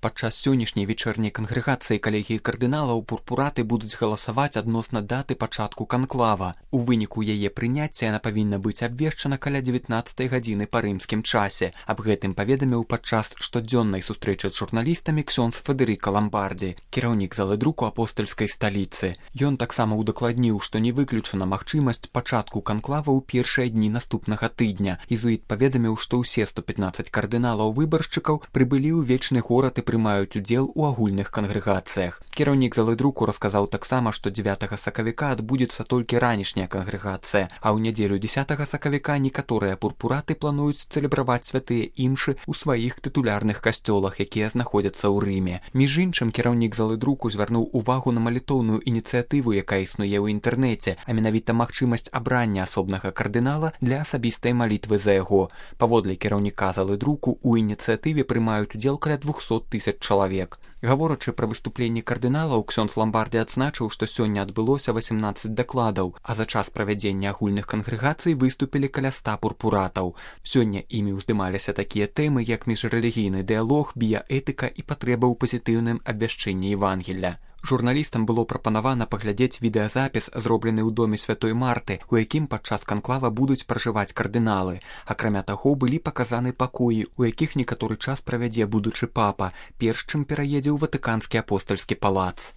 Падчас сённяшняй вечерняй кангрэгацыі калегіі кардыналаў пурпураты будуць галасаваць адносна даты пачатку канклава. У выніку яе прыняцця яна павінна быць абвешчана каля 19 гадзіны па рымскім часе. Аб гэтым паведаміў падчас штодзённай сустрэчы з журналістамі ксёндз Федэрыка Ламбардзі, кіраўнік залы друку апостальскай сталіцы. Ён таксама удакладніў, што не выключана магчымасць пачатку канклава ў першыя дні наступнага тыдня. Езуіт паведаміў, што ўсе 115 кардыналаў-выбаршчыкаў прыбылі ў вечны горад і прымаюць удзел у агульных кангрэгацыях. Кіраўнік залы друку расказаў таксама, што 9 сакавіка адбудзецца толькі ранішняя кангрэгацыя, а ў нядзелю 10 сакавіка некаторыя пурпураты плануюць цэлебраваць святыя імшы ў сваіх тытулярных касцёлах, якія знаходзяцца ў Рыме. Між іншым, кіраўнік залы друку звярнуў увагу на малітоўную ініцыятыву, якая існуе ў інтэрнэце, а менавіта магчымасць абрання асобнага кардынала для асабістай малітвы за яго. Паводле кіраўніка залы друку, у ініцыятыве прымаюць удзел каля 200 000 чалавек. Гаворачы пра выступленні кардыналаў, ксёндз Ламбардзі адзначыў, што сёння адбылося 18 дакладаў, а за час правядзення агульных кангрэгацый выступілі каля 100 пурпуратаў. Сёння імі ўздымаліся такія тэмы, як міжрэлігійны дыялог, біяэтыка і патрэба ў пазітыўным абвяшчэнні Евангелля. Журналістам было прапанавана паглядзець відэазапіс, зроблены ў доме святой Марты, у якім падчас канклава будуць пражываць кардыналы. Акрамя таго, былі паказаны пакоі, у якіх некаторы час правядзе будучы папа, перш чым пераедзе ў Ватыканскі апостальскі палац.